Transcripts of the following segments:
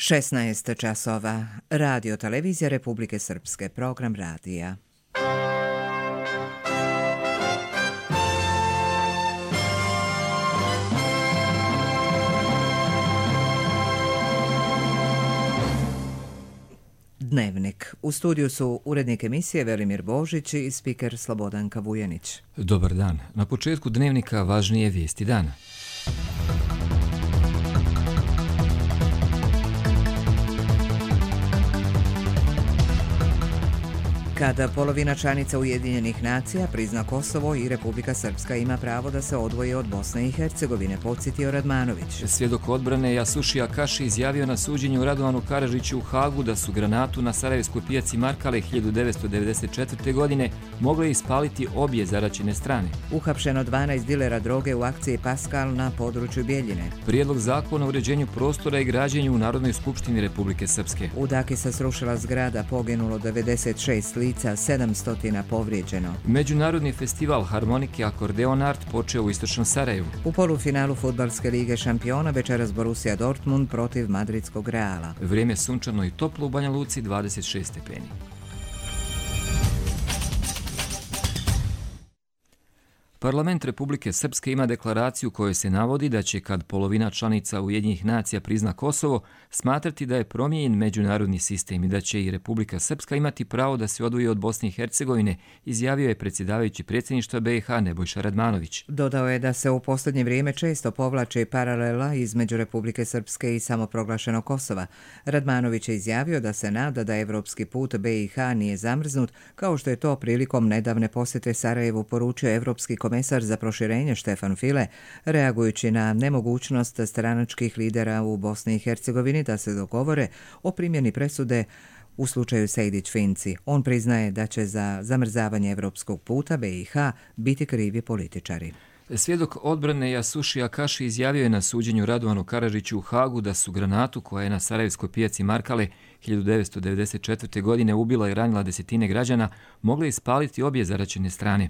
16 časova. Radio Televizija Republike Srpske. Program radija. Dnevnik. U studiju su urednik emisije Velimir Božić i spiker Slobodanka Vujanić. Dobar dan. Na početku dnevnika važnije vijesti dana. Kada polovina članica Ujedinjenih nacija prizna Kosovo i Republika Srpska ima pravo da se odvoji od Bosne i Hercegovine, podsjetio Radmanović. Svjedok odbrane Jasušija Kaši izjavio na suđenju Radovanu Karadžiću u Hagu da su granatu na Sarajevskoj pijaci Markale 1994. godine mogle ispaliti obje zaraćene strane. Uhapšeno 12 dilera droge u akciji Paskal na području Bjeljine. Prijedlog zakona o uređenju prostora i građenju u Narodnoj skupštini Republike Srpske. U Daki se srušila zgrada, poginulo 96 lica, 700 povrijeđeno. Međunarodni festival harmonike Akordeon Art počeo u istočnom Sarajevu. U polufinalu Fudbalske lige šampiona večeras Borussia Dortmund protiv madridskog Reala. Vrijeme sunčano i toplo u Banja Luci, 26 stepeni. Parlament Republike Srpske ima deklaraciju kojoj se navodi da će, kad polovina članica Ujedinjenih nacija prizna Kosovo, smatrati da je promijenjen međunarodni sistem i da će i Republika Srpska imati pravo da se odvoji od Bosne i Hercegovine, izjavio je predsjedavajući predsjedništva BiH Nebojša Radmanović. Dodao je da se u posljednje vrijeme često povlače paralela između Republike Srpske i samoproglašenog Kosova. Radmanović je izjavio da se nada da evropski put BiH nije zamrznut, kao što je to prilikom nedavne posjete Sarajevu poručio evropski komesar za proširenje Štefan File, reagujući na nemogućnost stranačkih lidera u Bosni i Hercegovini da se dogovore o primjeni presude u slučaju Sejdić-Finci. On priznaje da će za zamrzavanje evropskog puta BiH biti krivi političari. Svjedok odbrane Jasušija Kaši izjavio je na suđenju Radovanu Karadžiću u Hagu da su granatu koja je na Sarajevskoj pijaci Markale 1994. godine ubila i ranila desetine građana mogle ispaliti obje zaraćene strane.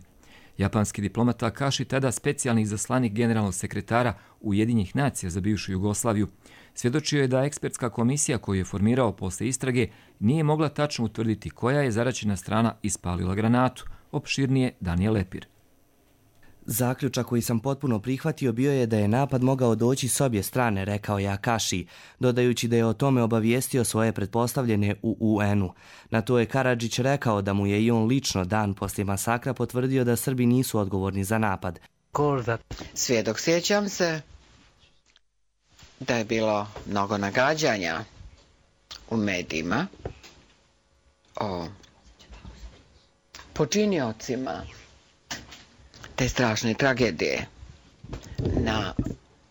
Japanski diplomata Kaši, tada specijalni izaslanik generalnog sekretara Ujedinjenih nacija za bivšu Jugoslaviju, svjedočio je da ekspertska komisija koju je formirao posle istrage nije mogla tačno utvrditi koja je zaraćena strana ispalila granatu. Opširnije Danijel Lepir. Zaključak koji sam potpuno prihvatio bio je da je napad mogao doći s obje strane, rekao je Akaši, dodajući da je o tome obavijestio svoje pretpostavljene u UN-u. Na to je Karadžić rekao da mu je i on lično dan poslije masakra potvrdio da Srbi nisu odgovorni za napad. Svjedok, sjećam se da je bilo mnogo nagađanja u medijima o počiniocima te strašne tragedije na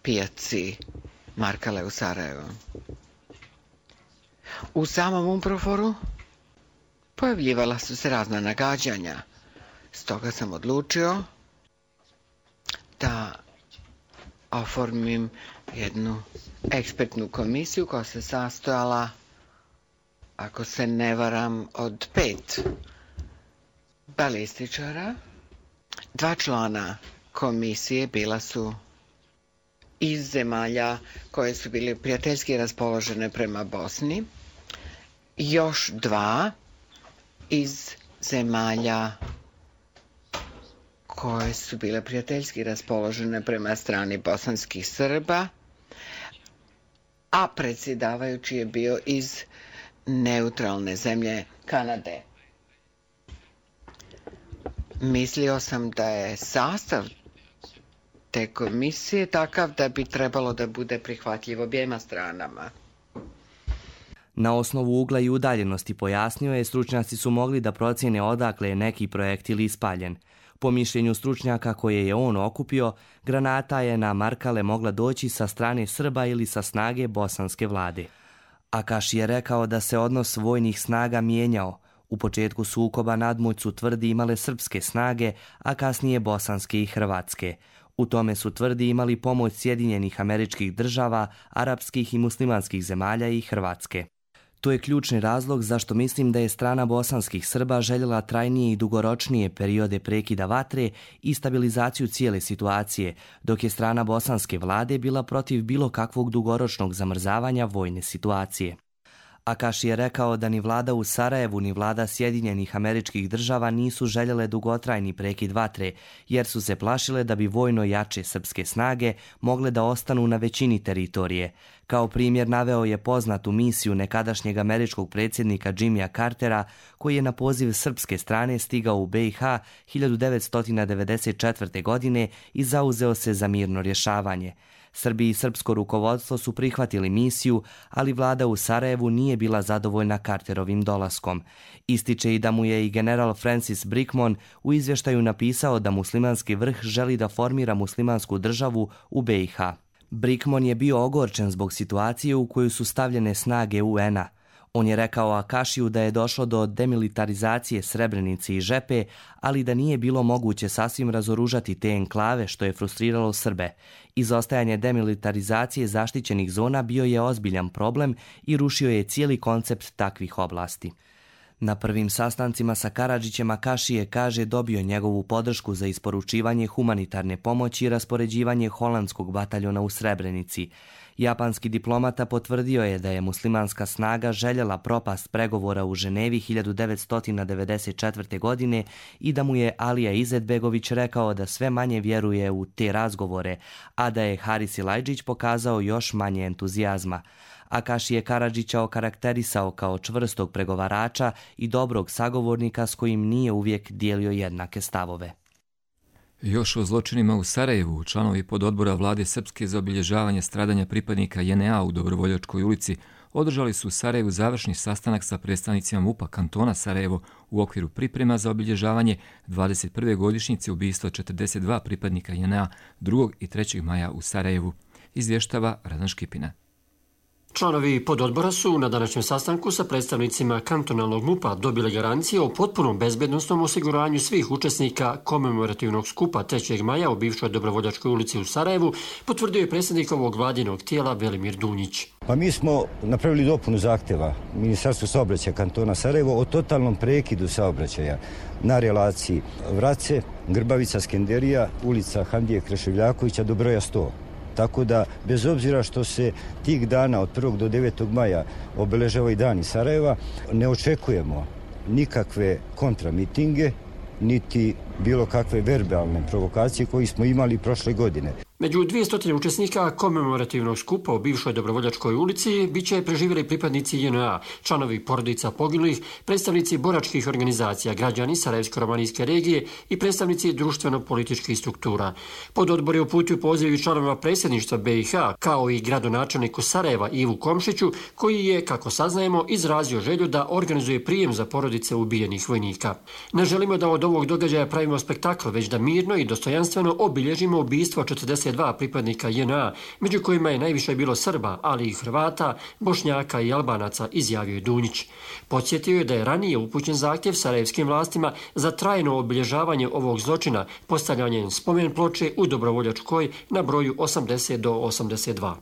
pijaci Markale u Sarajevu. U samom UNPROFOR-u pojavljivala su se razna nagađanja. Stoga sam odlučio da oformim jednu ekspertnu komisiju koja se sastojala, ako se ne varam, od 5 balističara. 2 člana komisije bila su iz zemalja koje su bile prijateljski raspoložene prema Bosni, još 2 iz zemalja koje su bile prijateljski raspoložene prema strani bosanskih Srba, a predsjedavajući je bio iz neutralne zemlje Kanade. Mislio sam da je sastav te komisije takav da bi trebalo da bude prihvatljiv objema stranama. Na osnovu ugla i udaljenosti, pojasnio je, stručnjaci su mogli da procjene odakle je neki projektil ispaljen. Po mišljenju stručnjaka koje je on okupio, granata je na Markale mogla doći sa strane Srba ili sa snage bosanske vlade. Akaši je rekao da se odnos vojnih snaga mijenjao. U početku sukoba nadmoć su, tvrdi, imale srpske snage, a kasnije bosanske i hrvatske. U tome su, tvrdi, imali pomoć Sjedinjenih Američkih Država, arapskih i muslimanskih zemalja i Hrvatske. To je ključni razlog zašto mislim da je strana bosanskih Srba željela trajnije i dugoročnije periode prekida vatre i stabilizaciju cijele situacije, dok je strana bosanske vlade bila protiv bilo kakvog dugoročnog zamrzavanja vojne situacije. Akaši je rekao da ni vlada u Sarajevu ni vlada Sjedinjenih Američkih Država nisu željele dugotrajni prekid vatre, jer su se plašile da bi vojno jače srpske snage mogle da ostanu na većini teritorije. Kao primjer naveo je poznatu misiju nekadašnjeg američkog predsjednika Jimmya Cartera, koji je na poziv srpske strane stigao u BiH 1994. godine i zauzeo se za mirno rješavanje. Srbi i srpsko rukovodstvo su prihvatili misiju, ali vlada u Sarajevu nije bila zadovoljna Carterovim dolaskom. Ističe i da mu je i general Francis Brickmon u izvještaju napisao da muslimanski vrh želi da formira muslimansku državu u BiH. Brickmon je bio ogorčen zbog situacije u koju su stavljene snage UN-a. On je rekao Akašiju da je došlo do demilitarizacije Srebrenice i Žepe, ali da nije bilo moguće sasvim razoružati te enklave, što je frustriralo Srbe. Izostajanje demilitarizacije zaštićenih zona bio je ozbiljan problem i rušio je cijeli koncept takvih oblasti. Na prvim sastancima sa Karadžićem Akašije kaže dobio njegovu podršku za isporučivanje humanitarne pomoći i raspoređivanje holandskog bataljona u Srebrenici. Japanski diplomata potvrdio je da je muslimanska snaga željela propast pregovora u Ženevi 1994. godine i da mu je Alija Izetbegović rekao da sve manje vjeruje u te razgovore, a da je Haris Silajdžić pokazao još manje entuzijazma. Akaši je Karadžića okarakterisao kao čvrstog pregovarača i dobrog sagovornika s kojim nije uvijek dijelio jednake stavove. Još o zločinima u Sarajevu, članovi pododbora vlade Srpske za obilježavanje stradanja pripadnika JNA u Dobrovoljačkoj ulici održali su u Sarajevu završni sastanak sa predstavnicima MUP-a kantona Sarajevo u okviru priprema za obilježavanje 21. godišnjice ubistva 42 pripadnika JNA 2. i 3. maja u Sarajevu, izvještava Radan Škipina. Članovi pododbora su na današnjem sastanku sa predstavnicima kantonalnog MUP-a dobili garancije o potpunom bezbednostnom osiguranju svih učesnika komemorativnog skupa 3. maja u bivšoj Dobrovoljačkoj ulici u Sarajevu, potvrdio je predsjednik ovog vladinog tijela Velimir Dunjić. Pa mi smo napravili dopunu zahtjeva Ministarstva saobraćaja kantona Sarajevo o totalnom prekidu saobraćaja na relaciji Vrace, Grbavica, Skenderija, ulica Hamdije Kreševljakovića do broja 100. Tako da, bez obzira što se tih dana od 1. do 9. maja obeležavaju dani Sarajeva, ne očekujemo nikakve kontramitinge, niti bilo kakve verbalne provokacije koje smo imali prošle godine. Među 200 učesnika komemorativnog skupa u bivšoj Dobrovoljačkoj ulici biće preživjeli pripadnici JNA, članovi porodica poginulih, predstavnici boračkih organizacija, građani Sarajevsko-romanijske regije i predstavnici društveno-političkih struktura. Pododbor je uputio poziv članova predsjedništva BiH, kao i gradonačelniku Sarajeva Ivu Komšiću, koji je, kako saznajemo, izrazio želju da organizuje prijem za porodice ubijenih vojnika. Ne želimo da od ovog događaja pravimo spektakl, već da mirno i dostojanstveno obilježimo ubistvo 42 pripadnika JNA, među kojima je najviše bilo Srba, ali i Hrvata, Bošnjaka i Albanaca, izjavio je Dunjić. Podsjetio je da je ranije upućen zahtjev sarajevskim vlastima za trajno obilježavanje ovog zločina, postavljanjem spomen ploče u Dobrovoljačkoj na broju 80 do 82.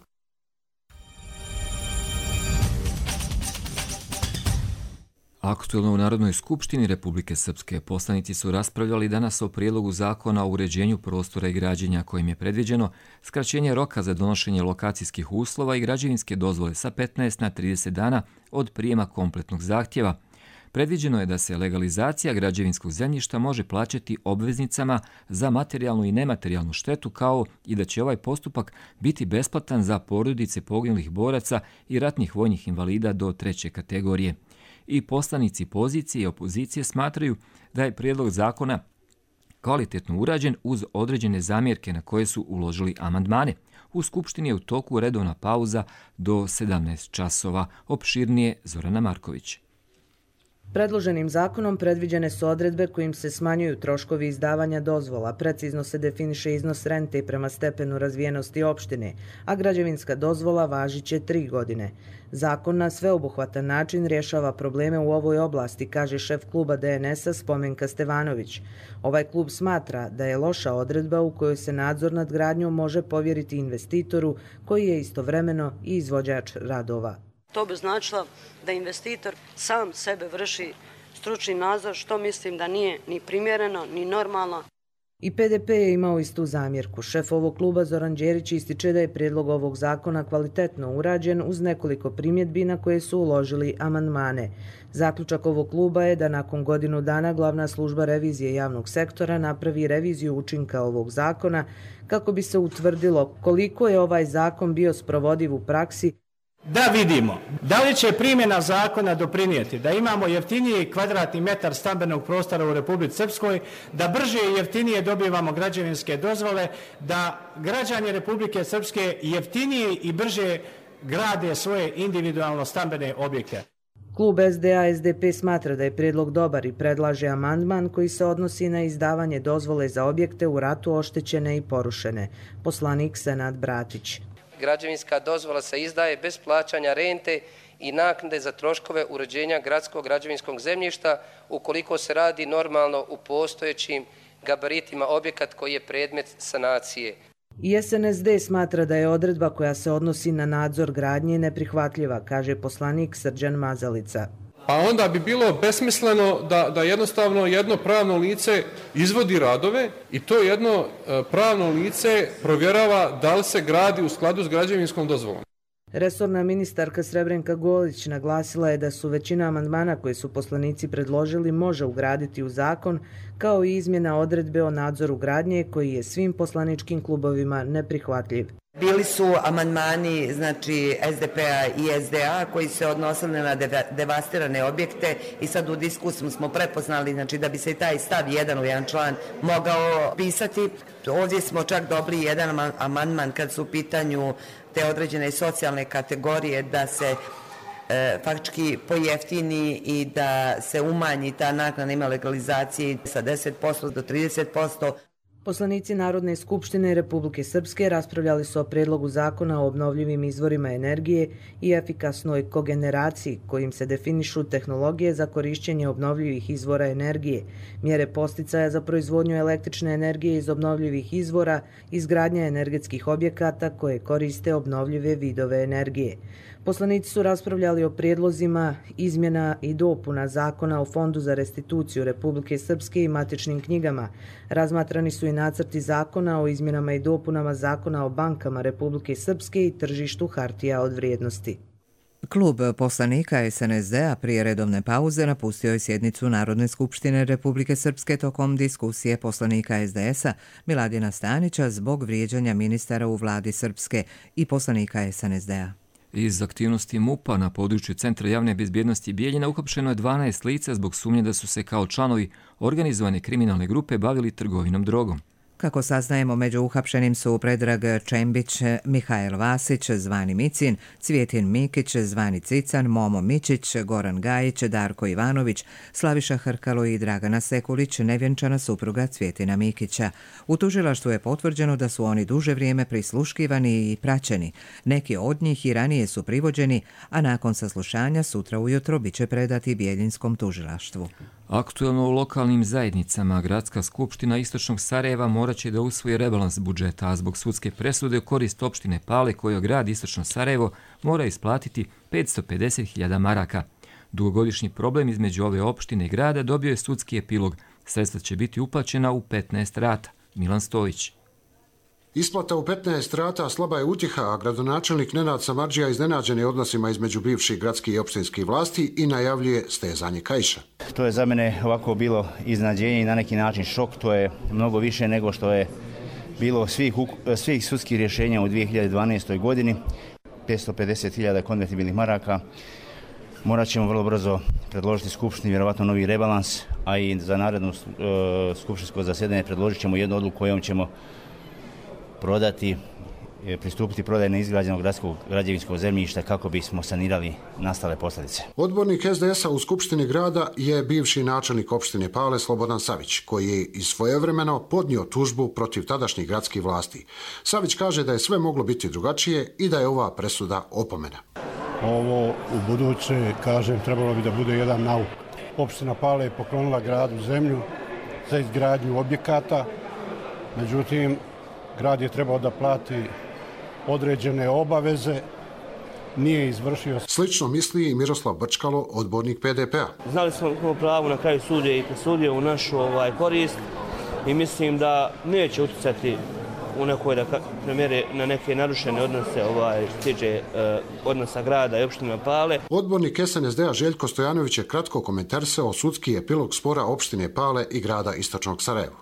Aktuelno u Narodnoj skupštini Republike Srpske poslanici su raspravljali danas o prijedlogu zakona o uređenju prostora i građenja kojim je predviđeno skraćenje roka za donošenje lokacijskih uslova i građevinske dozvole sa 15 na 30 dana od prijema kompletnog zahtjeva. Predviđeno je da se legalizacija građevinskog zemljišta može plaćati obveznicama za materijalnu i nematerijalnu štetu, kao i da će ovaj postupak biti besplatan za porodice poginulih boraca i ratnih vojnih invalida do 3. kategorije. I poslanici pozicije i opozicije smatraju da je prijedlog zakona kvalitetno urađen uz određene zamjerke na koje su uložili amandmane. U Skupštini je u toku redovna pauza do 17 časova. Opširnije Zorana Marković. Predloženim zakonom predviđene su odredbe kojim se smanjuju troškovi izdavanja dozvola, precizno se definiše iznos rente prema stepenu razvijenosti opštine, a građevinska dozvola važiće 3 godine. Zakon na sveobuhvatan način rješava probleme u ovoj oblasti, kaže šef kluba DNS-a Spomenka Stevanović. Ovaj klub smatra da je loša odredba u kojoj se nadzor nad gradnjom može povjeriti investitoru koji je istovremeno i izvođač radova. To bi značilo da investitor sam sebe vrši stručni nadzor, što mislim da nije ni primjereno, ni normalno. I PDP je imao istu zamjerku. Šef ovog kluba Zoran Đerić ističe da je prijedlog ovog zakona kvalitetno urađen uz nekoliko primjedbi na koje su uložili amandmane. Zaključak ovog kluba je da nakon godinu dana glavna služba revizije javnog sektora napravi reviziju učinka ovog zakona kako bi se utvrdilo koliko je ovaj zakon bio sprovodiv u praksi. Da vidimo da li će primjena zakona doprinijeti da imamo jeftiniji kvadratni metar stambenog prostora u Republici Srpskoj, da brže i jeftinije dobivamo građevinske dozvole, da građani Republike Srpske jeftinije i brže grade svoje individualno stambene objekte. Klub SDA-SDP smatra da je prijedlog dobar i predlaže amandman koji se odnosi na izdavanje dozvole za objekte u ratu oštećene i porušene. Poslanik Senad Bratić. Građevinska dozvola se izdaje bez plaćanja rente i naknade za troškove uređenja gradskog građevinskog zemljišta ukoliko se radi normalno u postojećim gabaritima objekat koji je predmet sanacije. I SNSD smatra da je odredba koja se odnosi na nadzor gradnje neprihvatljiva, kaže poslanik Srđan Mazalica. Pa onda bi bilo besmisleno da jednostavno jedno pravno lice izvodi radove i to jedno pravno lice provjerava da li se gradi u skladu s građevinskom dozvolom. Resorna ministarka Srebrenka Golić naglasila je da su većina amandmana koje su poslanici predložili može ugraditi u zakon, kao i izmjena odredbe o nadzoru gradnje koji je svim poslaničkim klubovima neprihvatljiv. Bili su amandmani SDP-a i SDA koji se odnosili na devastirane objekte i sad u diskusiju smo prepoznali da bi se i taj stav 1 u jedan član mogao pisati. Ovdje smo čak dobili jedan amandman kad su u pitanju te određene socijalne kategorije da se faktički pojeftini i da se umanji ta naknada ima legalizacije sa 10% do 30%. Poslanici Narodne skupštine Republike Srpske raspravljali su o prijedlogu zakona o obnovljivim izvorima energije i efikasnoj kogeneraciji kojim se definišu tehnologije za korišćenje obnovljivih izvora energije, mjere posticaja za proizvodnju električne energije iz obnovljivih izvora, izgradnja energetskih objekata koje koriste obnovljive vidove energije. Poslanici su raspravljali o prijedlozima izmjena i dopuna zakona o Fondu za restituciju Republike Srpske i matičnim knjigama. Razmatrani su i nacrti zakona o izmjenama i dopunama zakona o bankama Republike Srpske i tržištu hartija od vrijednosti. Klub poslanika SNSD-a prije redovne pauze napustio je sjednicu Narodne skupštine Republike Srpske tokom diskusije poslanika SDS-a Miladina Stanića zbog vrijeđanja ministara u vladi Srpske i poslanika SNSD-a. Iz aktivnosti MUP-a na području Centra javne bezbjednosti Bijeljina uhapšeno je 12 lica zbog sumnje da su se kao članovi organizovane kriminalne grupe bavili trgovinom drogom. Kako saznajemo, među uhapšenim su Predrag Čembić, Mihajl Vasić, zvani Micin, Cvjetin Mikić, zvani Cican, Momo Mičić, Goran Gajić, Darko Ivanović, Slaviša Hrkalo i Dragana Sekulić, nevjenčana supruga Cvjetina Mikića. U tužilaštvu je potvrđeno da su oni duže vrijeme prisluškivani i praćeni. Neki od njih i ranije su privođeni, a nakon saslušanja sutra ujutro biće predati Bijeljinskom tužilaštvu. Aktuelno u lokalnim zajednicama Gradska skupština Istočnog Sarajeva morat će da usvoji rebalans budžeta, a zbog sudske presude u korist opštine Pale koju grad Istočno Sarajevo mora isplatiti 550.000 maraka. Dugogodišnji problem između ove opštine i grada dobio je sudski epilog. Sredstva će biti uplaćena u 15 rata. Milan Stojić. Isplata u 15 rata slaba je utjeha, a gradonačelnik Nenad Samardžija iznenađen je odnosima između bivših gradskih i opštinskih vlasti i najavljuje stezanje kaiša. To je za mene ovako bilo iznenađenje i na neki način šok. To je mnogo više nego što je bilo svih sudskih rješenja u 2012. godini. 550.000 konvertibilnih maraka. Morat ćemo vrlo brzo predložiti skupštini vjerovatno novi rebalans, a i za naredno skupštinsko zasjedanje predložit ćemo jednu odluku kojom ćemo pristupiti prodaji neizgrađenog gradskog građevinskog zemljišta kako bismo sanirali nastale posljedice. Odbornik SDS-a u Skupštini grada je bivši načelnik opštine Pale Slobodan Savić, koji je i svojevremeno podnio tužbu protiv tadašnjih gradskih vlasti. Savić kaže da je sve moglo biti drugačije i da je ova presuda opomena. Ovo u buduće, kažem, trebalo bi da bude jedan nauk. Opština Pale je poklonila gradu zemlju za izgradnju objekata, međutim, grad je trebao da plati određene obaveze nije izvršio. Slično misli i Miroslav Brčkalo, odbornik PDP-a. Znali smo imamo pravo na kraju sudije i presudio u našu korist i mislim da neće utjecati u nekoj mjeri na neke narušene odnose tiče odnosa grada i opštine Pale. Odbornik SNSD-a Željko Stojanović je kratko komentarisao sudski epilog spora opštine Pale i grada Istočnog Sarajeva.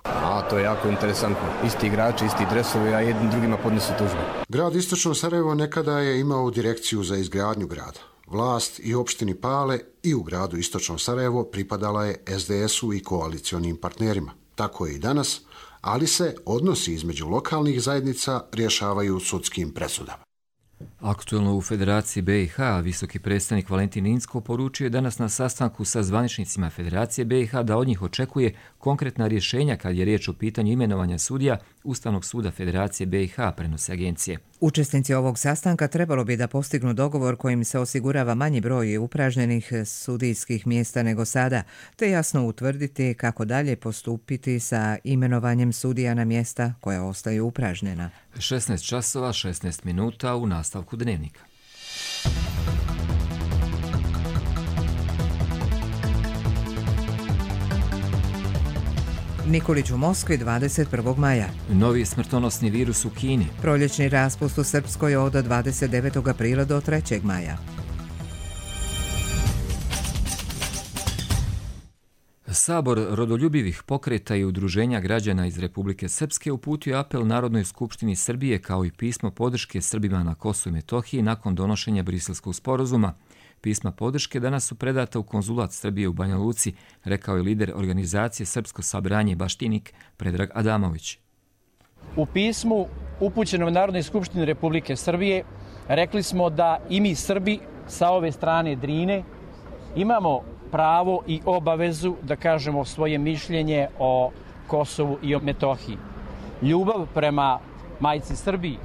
To je jako interesantno. Isti igrači, isti dresovi, a jednim drugima podnesu tužbe. Grad Istočno Sarajevo nekada je imao direkciju za izgradnju grada. Vlast i opštini Pale i u gradu Istočno Sarajevo pripadala je SDS-u i koalicionim partnerima. Tako je i danas, ali se odnosi između lokalnih zajednica rješavaju sudskim presudama. Aktuelno u Federaciji BiH visoki predstavnik Valentin Inzko poručio je danas na sastanku sa zvaničnicima Federacije BiH da od njih očekuje konkretna rješenja kad je riječ o pitanju imenovanja sudija Ustavnog suda Federacije BiH, prenose agencije. Učesnici ovog sastanka trebalo bi da postignu dogovor kojim se osigurava manji broj upražnjenih sudijskih mjesta nego sada, te jasno utvrditi kako dalje postupiti sa imenovanjem sudija na mjesta koja ostaju upražnjena. 16 časova, 16 minuta u nastavku dnevnika. Nikolić u Moskvi 21. maja. Novi smrtonosni virus u Kini. Proljećni raspust u Srpskoj od 29. aprila do 3. maja. Sabor rodoljubivih pokreta i udruženja građana iz Republike Srpske uputio apel Narodnoj skupštini Srbije kao i pismo podrške Srbima na Kosovu i Metohiji nakon donošenja Briselskog sporazuma. Pisma podrške danas su predata u konzulat Srbije u Banja Luci, rekao je lider organizacije Srpsko sabranje Baštinik Predrag Adamović. U pismu upućenom Narodnoj skupštini Republike Srbije rekli smo da i mi Srbi sa ove strane Drine imamo pravo i obavezu da kažemo svoje mišljenje o Kosovu i o Metohiji. Ljubav prema majci Srbiji,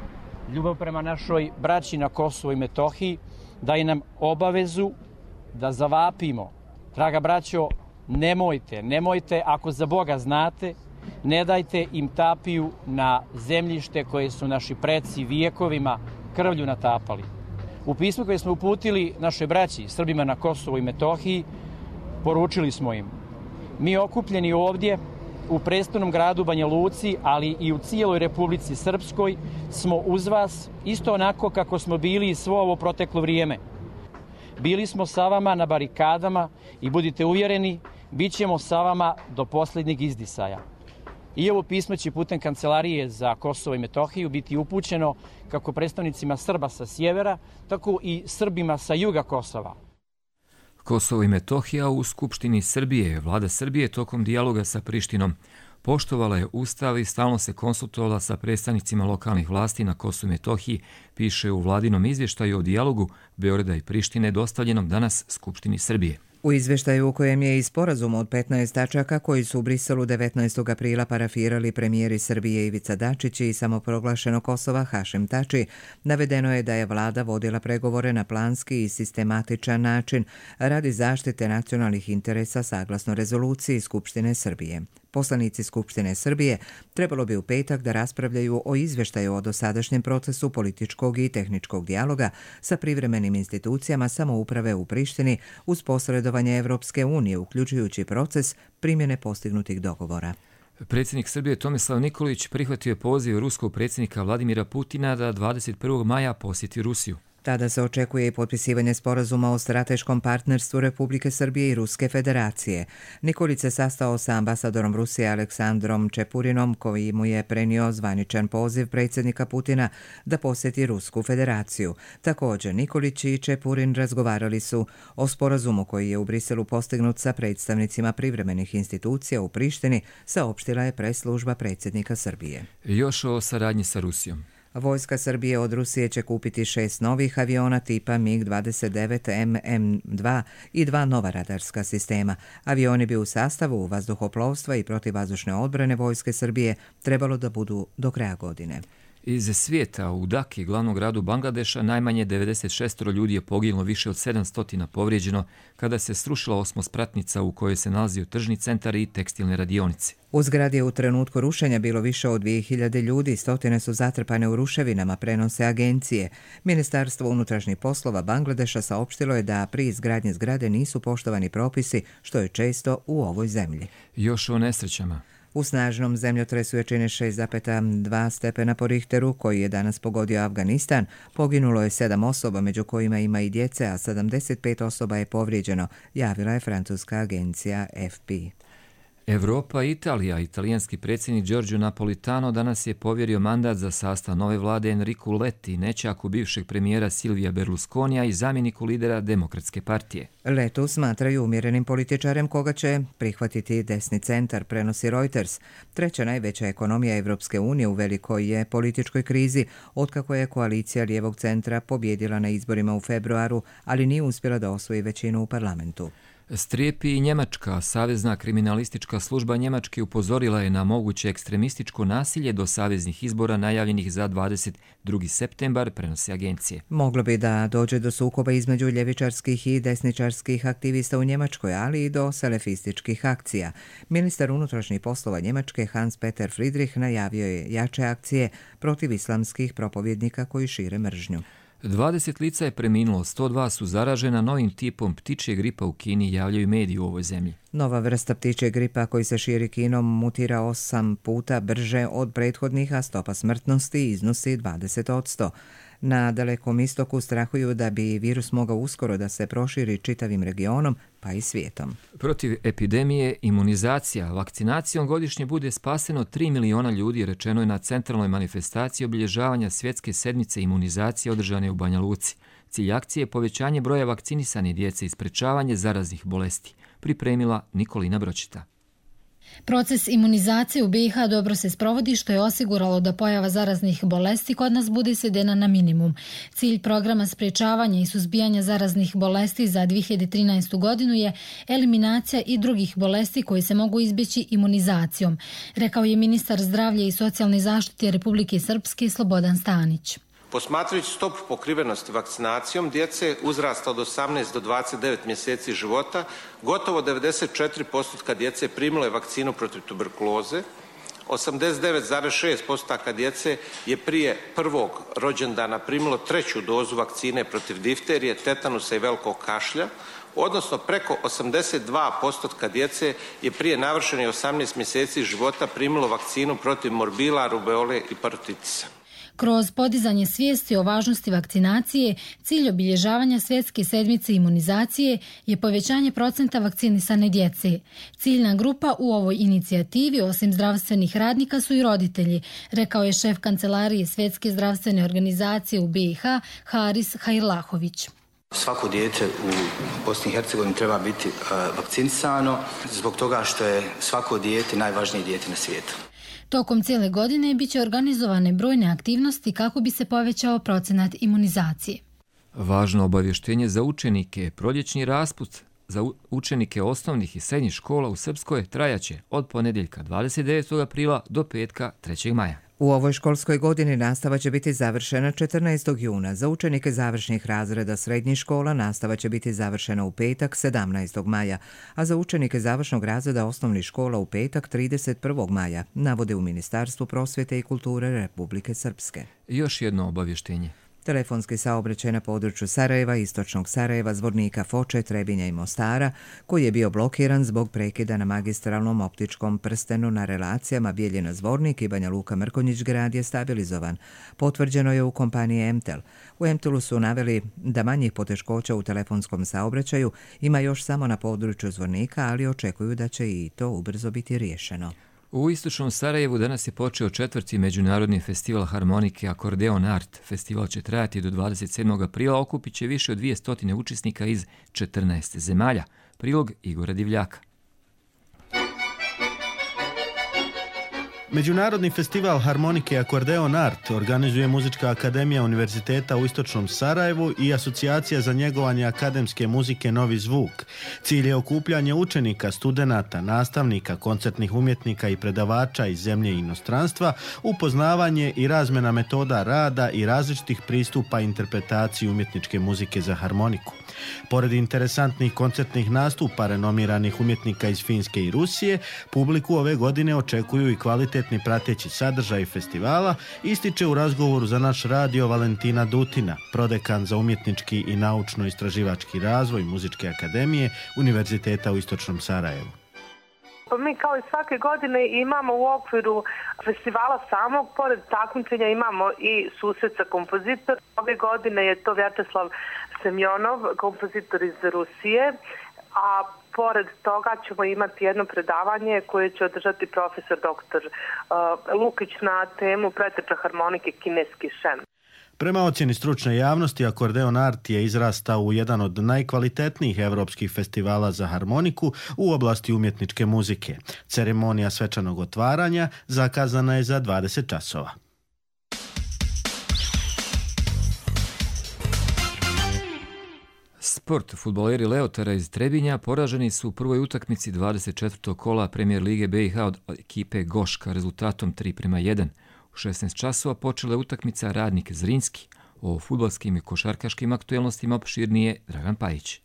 ljubav prema našoj braći na Kosovu i Metohiji daje nam obavezu da zavapimo. Draga braćo, nemojte, ako za Boga znate, ne dajte im tapiju na zemljište koje su naši preci vijekovima krvlju natapali. U pismu koje smo uputili našoj braći, Srbima na Kosovu i Metohiji, poručili smo im: mi okupljeni ovdje u prestolnom gradu Banja Luci, ali i u cijeloj Republici Srpskoj, smo uz vas isto onako kako smo bili i svo ovo proteklo vrijeme. Bili smo sa vama na barikadama i budite uvjereni, bit ćemo sa vama do posljednjeg izdisaja. I ovo pismo će putem Kancelarije za Kosovo i Metohiju biti upućeno kako predstavnicima Srba sa sjevera, tako i Srbima sa juga Kosova. Kosovo i Metohija u Skupštini Srbije. Vlada Srbije tokom dijaloga sa Prištinom poštovala je Ustav i stalno se konsultovala sa predstavnicima lokalnih vlasti na Kosovu i Metohiji, piše u vladinom izvještaju o dijalogu Beograda i Prištine dostavljenom danas Skupštini Srbije. U izvještaju u kojem je i sporazum od 15 tačaka koji su u Briselu 19. aprila parafirali premijeri Srbije Ivica Dačić i samoproglašeno Kosova Hašim Tači, navedeno je da je vlada vodila pregovore na planski i sistematičan način radi zaštite nacionalnih interesa saglasno rezoluciji Skupštine Srbije. Poslanici Skupštine Srbije trebalo bi u petak da raspravljaju o izvještaju o dosadašnjem procesu političkog i tehničkog dijaloga sa privremenim institucijama samouprave u Prištini uz posredovanje Evropske unije, uključujući proces primjene postignutih dogovora. Predsjednik Srbije Tomislav Nikolić prihvatio je poziv ruskog predsjednika Vladimira Putina da 21. maja posjeti Rusiju. Tada se očekuje i potpisivanje sporazuma o strateškom partnerstvu Republike Srbije i Ruske federacije. Nikolić se sastao sa ambasadorom Rusije Aleksandrom Čepurinom, koji mu je prenio zvaničan poziv predsjednika Putina da posjeti Rusku federaciju. Također, Nikolić i Čepurin razgovarali su o sporazumu koji je u Briselu postignut sa predstavnicima privremenih institucija u Prištini, saopštila je press-služba predsjednika Srbije. Još o saradnji sa Rusijom. Vojska Srbije od Rusije će kupiti 6 novih aviona tipa MiG-29 MM-2 i 2 nova radarska sistema. Avioni bi u sastavu vazduhoplovstva i protivvazdušne odbrane Vojske Srbije trebalo da budu do kraja godine. Iz svijeta u Daki, glavnom gradu Bangladeša, najmanje 96 ljudi je poginulo, više od 700 povrijeđeno kada se srušila osmospratnica u kojoj se nalazio tržni centar i tekstilne radionice. U zgradi je u trenutku rušenja bilo više od 2000 ljudi, stotine su zatrpane u ruševinama, prenose agencije. Ministarstvo unutrašnjih poslova Bangladeša saopštilo je da pri izgradnji zgrade nisu poštovani propisi, što je često u ovoj zemlji. Još o nesrećama. U snažnom zemljotresu jačine 6,2 stepena po Richteru, koji je danas pogodio Afganistan, poginulo je 7 osoba, među kojima ima i djece, a 75 osoba je povrijeđeno, javila je francuska agencija FP. Europa i Italija. Italijanski predsjednik Giorgio Napolitano danas je povjerio mandat za sastav nove vlade Enricu Letti, nećaku bivšeg premijera Silvija Berlusconija i zamjeniku lidera Demokratske partije. Letu smatraju umjerenim političarem koga će prihvatiti desni centar, prenosi Reuters. Treća najveća ekonomija Evropske unije u velikoj je političkoj krizi, otkako je koalicija lijevog centra pobjedila na izborima u februaru, ali nije uspjela da osvoji većinu u parlamentu. Strijepi i Njemačka. Savezna kriminalistička služba Njemačke upozorila je na moguće ekstremističko nasilje do saveznih izbora najavljenih za 22. septembar, prenose agencije. Moglo bi da dođe do sukoba između ljevičarskih i desničarskih aktivista u Njemačkoj, ali i do selefističkih akcija. Ministar unutrašnjih poslova Njemačke Hans-Peter Friedrich najavio je jače akcije protiv islamskih propovjednika koji šire mržnju. 20 lica je preminulo, 102 su zaražena novim tipom ptičje gripa u Kini, javljaju mediji u ovoj zemlji. Nova vrsta ptičje gripa koji se širi Kinom mutira 8 puta brže od prethodnih, a stopa smrtnosti iznosi 20%. Na Dalekom istoku strahuju da bi virus mogao uskoro da se proširi čitavim regionom, pa i svijetom. Protiv epidemije imunizacija. Vakcinacijom godišnje bude spaseno 3 miliona ljudi, rečeno je na centralnoj manifestaciji obilježavanja svjetske sedmice imunizacije održane u Banja Luci. Cilj akcije je povećanje broja vakcinisane djece i sprečavanje zaraznih bolesti. Pripremila Nikolina Bročita. Proces imunizacije u BiH dobro se sprovodi, što je osiguralo da pojava zaraznih bolesti kod nas bude svedena na minimum. Cilj programa sprečavanja i suzbijanja zaraznih bolesti za 2013. godinu je eliminacija i drugih bolesti koje se mogu izbjeći imunizacijom, rekao je ministar zdravlja i socijalne zaštite Republike Srpske Slobodan Stanić. Posmatrajući stopu pokrivenosti vakcinacijom djece uzrasta od 18 do 29 mjeseci života, gotovo 94% djece primilo je vakcinu protiv tuberkuloze, 89,6% djece je prije prvog rođendana primilo 3. dozu vakcine protiv difterije, tetanusa i velikog kašlja, odnosno preko 82% djece je prije navršenih 18 mjeseci života primilo vakcinu protiv morbila, rubeole i parotitisa. Kroz podizanje svijesti o važnosti vakcinacije, cilj obilježavanja svjetske sedmice imunizacije je povećanje procenta vakcinisane djece. Ciljna grupa u ovoj inicijativi, osim zdravstvenih radnika, su i roditelji, rekao je šef kancelarije Svjetske zdravstvene organizacije u BiH Haris Hajlahović. Svako dijete u Bosni i Hercegovini treba biti vakcinisano zbog toga što je svako dijete najvažnije dijete na svijetu. Tokom cijele godine biće organizovane brojne aktivnosti kako bi se povećao procenat imunizacije. Važno obavještenje za učenike. Proljećni raspust za učenike osnovnih i srednjih škola u Srpskoj trajaće od ponedjeljka 29. aprila do petka 3. maja. U ovoj školskoj godini nastava će biti završena 14. juna. Za učenike završnih razreda srednjih škola nastava će biti završena u petak 17. maja, a za učenike završnog razreda osnovnih škola u petak 31. maja, navode u Ministarstvu prosvjete i kulture Republike Srpske. Još jedno obavještenje. Telefonski saobraćaj na području Sarajeva, istočnog Sarajeva, Zvornika, Foče, Trebinja i Mostara, koji je bio blokiran zbog prekida na magistralnom optičkom prstenu na relacijama Bijeljina-Zvornik i Banja Luka-Mrkonjić grad je stabilizovan. Potvrđeno je u kompaniji Emtel. U Emtelu su naveli da manjih poteškoća u telefonskom saobraćaju ima još samo na području Zvornika, ali očekuju da će i to ubrzo biti riješeno. U istočnom Sarajevu danas je počeo 4. međunarodni festival harmonike Akordeon Art. Festival će trajati do 27. aprila, okupit će više od 200 učesnika iz 14 zemalja. Prilog Igora Divljaka. Međunarodni festival harmonike Akordeon Art organizuje Muzička akademija Univerziteta u Istočnom Sarajevu i Asocijacija za njegovanje akademske muzike Novi zvuk. Cilj je okupljanje učenika, studenata, nastavnika, koncertnih umjetnika i predavača iz zemlje i inostranstva, upoznavanje i razmjena metoda rada i različitih pristupa interpretaciji umjetničke muzike za harmoniku. Pored interesantnih koncertnih nastupa renomiranih umjetnika iz Finske i Rusije, publiku ove godine očekuju i kvalitetni prateći sadržaj festivala, ističe u razgovoru za naš radio Valentina Dutina, prodekan za umjetnički i naučno-istraživački razvoj Muzičke akademije Univerziteta u Istočnom Sarajevu. Mi kao i svake godine imamo u okviru festivala samog, pored takmičenja imamo i susret sa kompozitor. Ove godine je to Vjačeslav Semjonov, kompozitor iz Rusije, a pored toga ćemo imati jedno predavanje koje će održati profesor dr. Lukić na temu preteča harmonike kineski šen. Prema ocjeni stručne javnosti, Akordeon Art je izrastao u jedan od najkvalitetnijih evropskih festivala za harmoniku u oblasti umjetničke muzike. Ceremonija svečanog otvaranja zakazana je za 20 časova. Sport. Fudbaleri Leotara iz Trebinja poraženi su u prvoj utakmici 24. kola Premijer Lige BiH od ekipe Goška rezultatom 3:1. U 16 časova počela je utakmica Radnik Zrinski. O fudbalskim i košarkaškim aktuelnostima opširnije Dragan Pajić.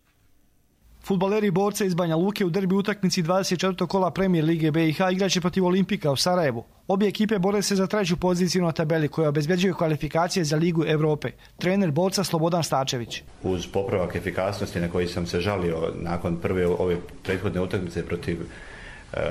Fudbaleri borca iz Banja Luke u derbi utakmici 24. kola Premijer Lige BiH igraće protiv Olimpika u Sarajevu. Obje ekipe bore se za treću poziciju na tabeli koja obezbeđuje kvalifikacije za Ligu Evrope. Trener borca Slobodan Stačević. Uz popravak efikasnosti na koji sam se žalio nakon prve ove prethodne utakmice protiv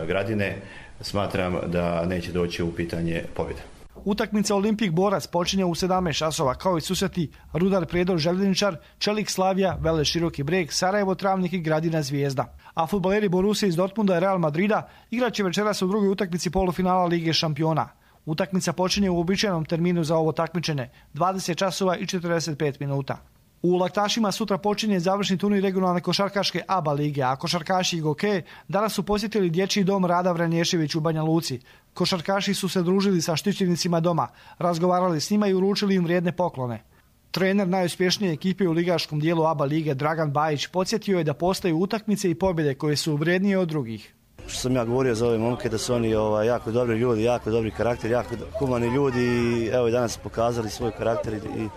Gradine, smatram da neće doći u pitanje pobjeda. Utakmica Olimpik Borac počinje u 17 časova, kao i susreti Rudar Prijedor Željezničar, Čelik Slavija, Vele Široki Breg, Sarajevo Travnik i Gradina Zvijezda. A fudbaleri Borussia iz Dortmunda i Real Madrida igraće večeras u drugoj utakmici polufinala Lige šampiona. Utakmica počinje u uobičajenom terminu za ovo takmičenje, 20 časova i 45 minuta. U Laktašima sutra počinje završni turnir regionalne košarkaške ABA lige, a košarkaši i Goke danas su posjetili dječji dom Rada Vranješević u Banja Luci. Košarkaši su se družili sa štićenicima doma, razgovarali s njima i uručili im vrijedne poklone. Trener najuspješnije ekipe u ligaškom dijelu ABA lige Dragan Bajić podsjetio je da postaju utakmice i pobjede koje su vrijednije od drugih. Što sam ja govorio za ove momke, da su oni jako dobri ljudi, jako dobri karakter, jako humani ljudi i evo i danas pokazali svoj karakter i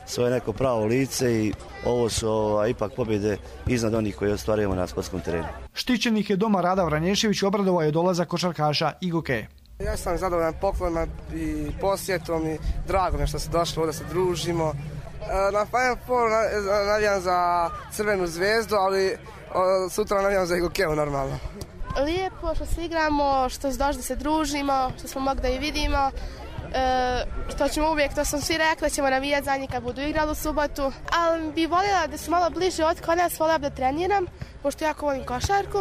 svoje neko pravo lice i ovo su ipak pobjede iznad onih koje ostvarujemo na sportskom terenu. Štićenik je doma Rada Vranješević obradovao je dolazak košarkaša i Goke. Ja sam zadovoljan poklonima i posjetom i drago mi što se došlo ovdje da se družimo. Na Final Four navijam za Crvenu zvezdu, ali sutra navijam za Gokeu normalno. Lijepo što se igramo, što se došli da se družimo, što smo mogli da i vidimo, što ćemo uvijek, to sam svi rekli, ćemo navijati za njih kad budu igrali u subotu, ali bi voljela da su malo bliže od kod nas, voljela da treniram, pošto jako volim košarku.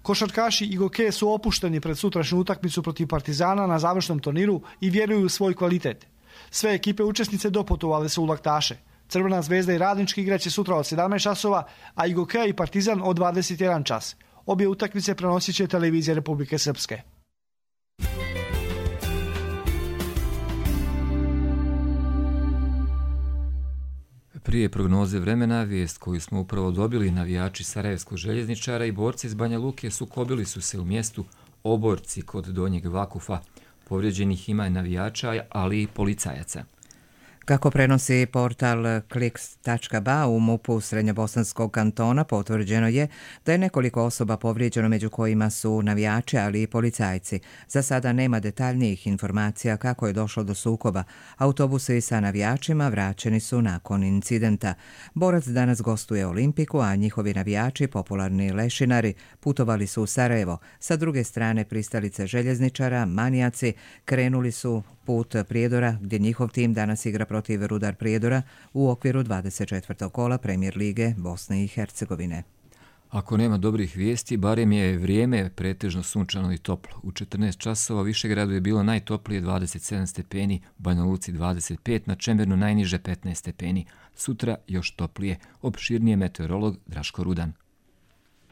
Košarkaši i Goke su opušteni pred sutrašnju utakmicu protiv Partizana na završnom turniru i vjeruju u svoj kvalitet. Sve ekipe učesnice doputovale su u Laktaše. Crvena zvezda i Radnički igraće sutra od 17 časova, a i Goke i Partizan od 21 čas. Obje utakmice prenosit će televizija Republike Srpske. Prije prognoze vremena, vijest koju smo upravo dobili, navijači Sarajevskog željezničara i borci iz Banja Luke sukobili su se u mjestu Oborci kod Donjeg Vakufa. Povrijeđenih ima navijača, ali i policajaca. Kako prenosi portal Kliks.ba u MUP-u Srednjobosanskog kantona, potvrđeno je da je nekoliko osoba povrijeđeno, među kojima su navijači, ali i policajci. Za sada nema detaljnijih informacija kako je došlo do sukoba. Autobusi sa navijačima vraćeni su nakon incidenta. Borac danas gostuje Olimpiku, a njihovi navijači, popularni lešinari, putovali su u Sarajevo. Sa druge strane pristalice željezničara, manijaci, krenuli su put Prijedora, gdje njihov tim danas igra protiv Rudar Prijedora u okviru 24. kola Premijer Lige Bosne i Hercegovine. Ako nema dobrih vijesti, barem je vrijeme pretežno sunčano i toplo. U 14 časova u Višegradu je bilo najtoplije 27 stepeni, u Banja Luci 25, na Čemernu najniže 15 stepeni. Sutra još toplije. Opširnije meteorolog Draško Rudan.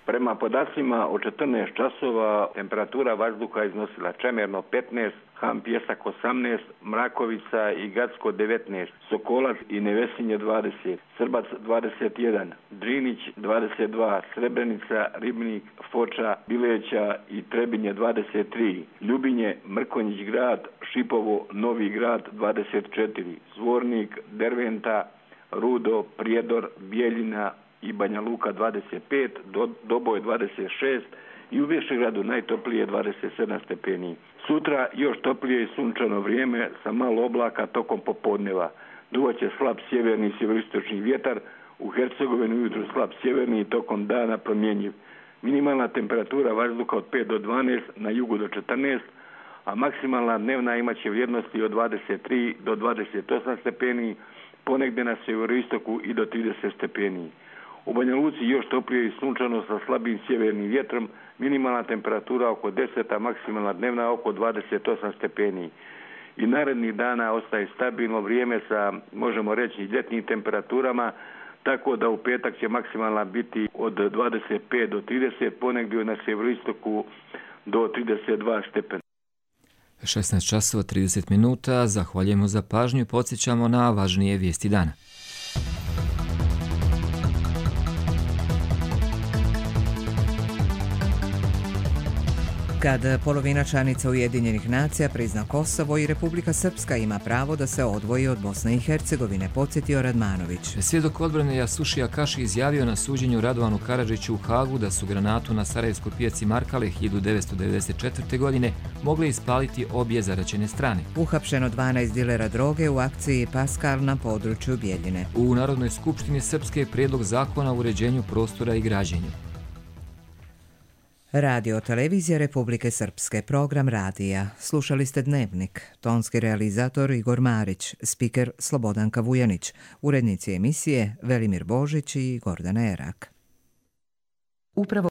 Prema podacima od 14 časova temperatura vazduha iznosila Čemerno 15, Ham Pjesak 18, Mrakovica i Gacko 19, Sokolac i Nevesinje 20, Srbac 21, Drinić 22, Srebrenica, Ribnik, Foča, Bileća i Trebinje 23, Ljubinje, Mrkonjić grad, Šipovo, Novi grad 24, Zvornik, Derventa, Rudo, Prijedor, Bijeljina i Banja Luka 25, Doboj 26 i u Višegradu najtoplije 27 stepeni. Sutra još toplije i sunčano vrijeme sa malo oblaka tokom popodneva. Duvaće slab sjeverni i sjeveroistočni vjetar, u Hercegovini ujutro slab sjeverni i tokom dana promjenjiv. Minimalna temperatura vazduha od 5 do 12, na jugu do 14, a maksimalna dnevna imaće vrijednosti od 23 do 28 stepeni, ponegdje na sjeveroistoku i do 30 stepeni. U Banja Luci još toplije i sunčano sa slabim sjevernim vjetrom, minimalna temperatura oko 10, a maksimalna dnevna oko 28 stepeni. I narednih dana ostaje stabilno vrijeme sa, možemo reći, ljetnim temperaturama, tako da u petak će maksimalna biti od 25 do 30, ponegdje na sjeveroistoku do 32 stepena. 16 časova 30 minuta, zahvaljujemo za pažnju i podsjećamo na važnije vijesti dana. Kad polovina članica Ujedinjenih nacija prizna Kosovo i Republika Srpska ima pravo da se odvoji od Bosne i Hercegovine, podsjetio Radmanović. Svjedok odbrane Jasušija Kaši izjavio na suđenju Radovanu Karadžiću u Hagu da su granatu na Sarajevskoj pijaci Markale 1994. godine mogli ispaliti obje zaraćene strane. Uhapšeno 12 dilera droge u akciji Paskal na području Bijeljine. U Narodnoj skupštini Srpske je prijedlog zakona o uređenju prostora i građenju. Radio televizija Republike Srpske, program radija. Slušali ste Dnevnik. Tonski realizator Igor Marić, spiker Slobodanka Vujanić, urednici emisije Velimir Božić i Gordana Erak. Upravo